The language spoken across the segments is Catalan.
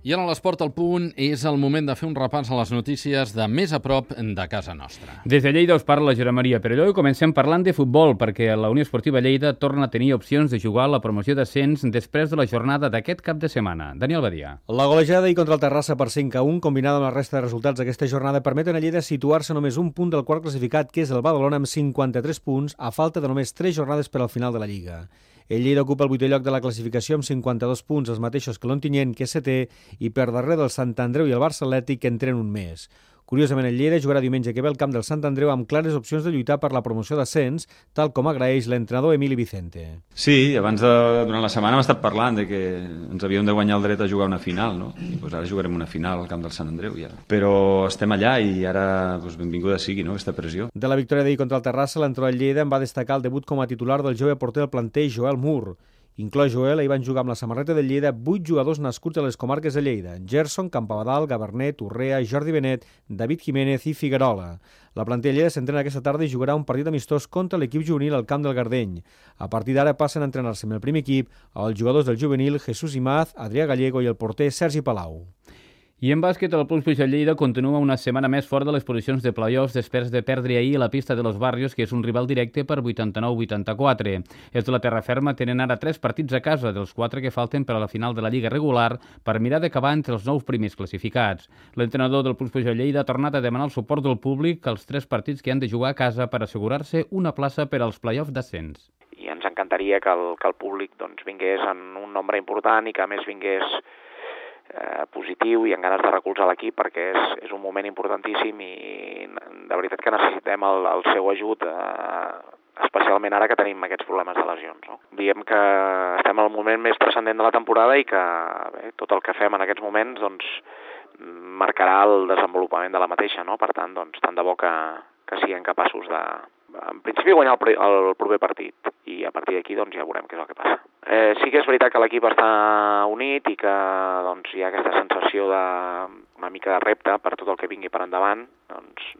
I ara a l'Esport al Punt és el moment de fer un repàs a les notícies de més a prop de casa nostra. Des de Lleida us parla Josep Maria Perelló i comencem parlant de futbol perquè la Unió Esportiva Lleida torna a tenir opcions de jugar a la promoció d'ascens després de la jornada d'aquest cap de setmana. Daniel Badia. La golejada i contra el Terrassa per 5-1, combinada amb la resta de resultats d'aquesta jornada, permeten a Lleida situar-se només un punt del quart classificat, que és el Badalona, amb 53 punts, a falta de només 3 jornades per al final de la Lliga. El Lleida ocupa el 8è lloc de la classificació amb 52 punts, els mateixos que l'Ontinyent, que és 7è, i per darrere del Sant Andreu i el Barça Atlètic, que en tenen un més. Curiosament, el Lleida jugarà diumenge que ve al camp del Sant Andreu amb clares opcions de lluitar per la promoció d'ascens, tal com agraeix l'entrenador Emili Vicente. Sí, durant la setmana hem estat parlant de que ens havíem de guanyar el dret a jugar una final, no? I ara jugarem una final al camp del Sant Andreu, ja. Però estem allà i ara benvinguda sigui, no?, aquesta pressió. De la victòria d'ahir contra el Terrassa, l'entrenador del Lleida en va destacar el debut com a titular del jove porter del planter, Joel Mur. Inclòs Joel, hi van jugar amb la samarreta del Lleida 8 jugadors nascuts a les comarques de Lleida: Gerson, Campabadal, Gabernet, Urrea, Jordi Benet, David Jiménez i Figuerola. La plantilla Lleida s'entrena aquesta tarda i jugarà un partit amistós contra l'equip juvenil al camp del Gardeny. A partir d'ara passen a entrenar-se amb el primer equip els jugadors del juvenil Jesús Imaz, Adrià Gallego i el porter Sergi Palau. I en bàsquet, el Puig Puig Lleida continua una setmana més fora de les posicions de play-offs després de perdre ahir a la pista de Los Barrios, que és un rival directe per 89-84. Els de la terra ferma tenen ara 3 partits a casa, dels 4 que falten per a la final de la Lliga regular, per mirar d'acabar entre els 9 primers classificats. L'entrenador del Puig Puig Lleida ha tornat a demanar el suport del públic als 3 partits que han de jugar a casa per assegurar-se una plaça per als play-offs d'ascens. I ens encantaria que el públic vingués en un nombre important i que a més vingués positiu i amb ganes de recolzar l'equip, perquè és un moment importantíssim i de veritat que necessitem el seu ajut, especialment ara que tenim aquests problemes de lesions, no? Diem que estem al moment més transcendent de la temporada i que tot el que fem en aquests moments marcarà el desenvolupament de la mateixa, no? Per tant, tant de bo que siguem capaços de, en principi, guanyar el proper partit i a partir d'aquí ja veurem què és el que passa. Sí que és veritat que l'equip està unit i que hi ha aquesta sensació una mica de repte per tot el que vingui per endavant.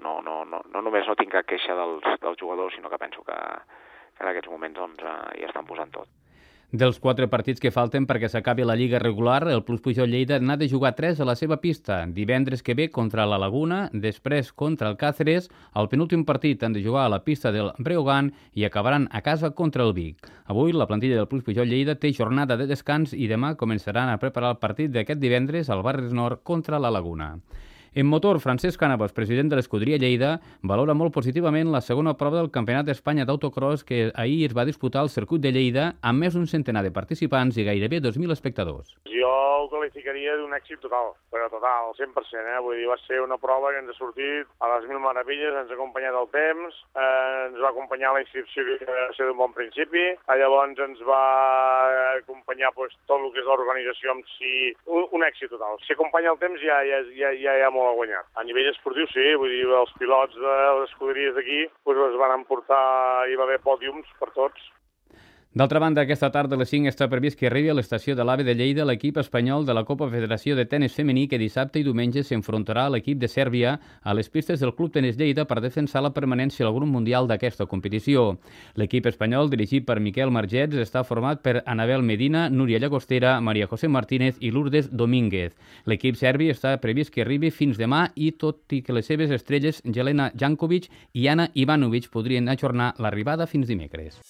No només no tinc cap queixa dels jugadors, sinó que penso que en aquests moments hi estan posant tot. Dels 4 partits que falten perquè s'acabi la Lliga regular, el Puig Puig Lleida n'ha de jugar 3 a la seva pista. Divendres que ve contra la Laguna, després contra el Càceres, el penúltim partit han de jugar a la pista del Breogán i acabaran a casa contra el Vic. Avui la plantilla del Puig Puig Lleida té jornada de descans i demà començaran a preparar el partit d'aquest divendres al Barris Nord contra la Laguna. En motor, Francesc Cànovas, president de l'Escuderia Lleida, valora molt positivament la segona prova del Campionat d'Espanya d'autocross que ahir es va disputar al circuit de Lleida amb més d'un centenar de participants i gairebé 2.000 espectadors. Jo ho qualificaria d'un èxit total, però total, 100%. Vull dir, va ser una prova que ens ha sortit a les 1000 meravelles, ens ha acompanyat el temps, ens va acompanyar la inscripció, que va ser d'un bon principi, llavors ens va acompanyar tot el que és l'organització en si, un èxit total. Si acompanya el temps ja hi ha molt a guanyar. A nivell esportiu sí, vull dir, els pilots de les escuderies d'aquí es van emportar, hi va haver pòdiums per tots. D'altra banda, aquesta tarda a les 5 està previst que arribi a l'estació de l'AVE de Lleida l'equip espanyol de la Copa Federació de Tenis Femení, que dissabte i diumenge s'enfrontarà a l'equip de Sèrbia a les pistes del Club Tenis Lleida per defensar la permanència al grup mundial d'aquesta competició. L'equip espanyol, dirigit per Miquel Margets, està format per Anabel Medina, Núria Llagostera, Maria José Martínez i Lourdes Domínguez. L'equip serbi està previst que arribi fins demà i tot i que les seves estrelles, Jelena Jankovic i Ana Ivanovic, podrien ajornar l'arribada fins dimecres.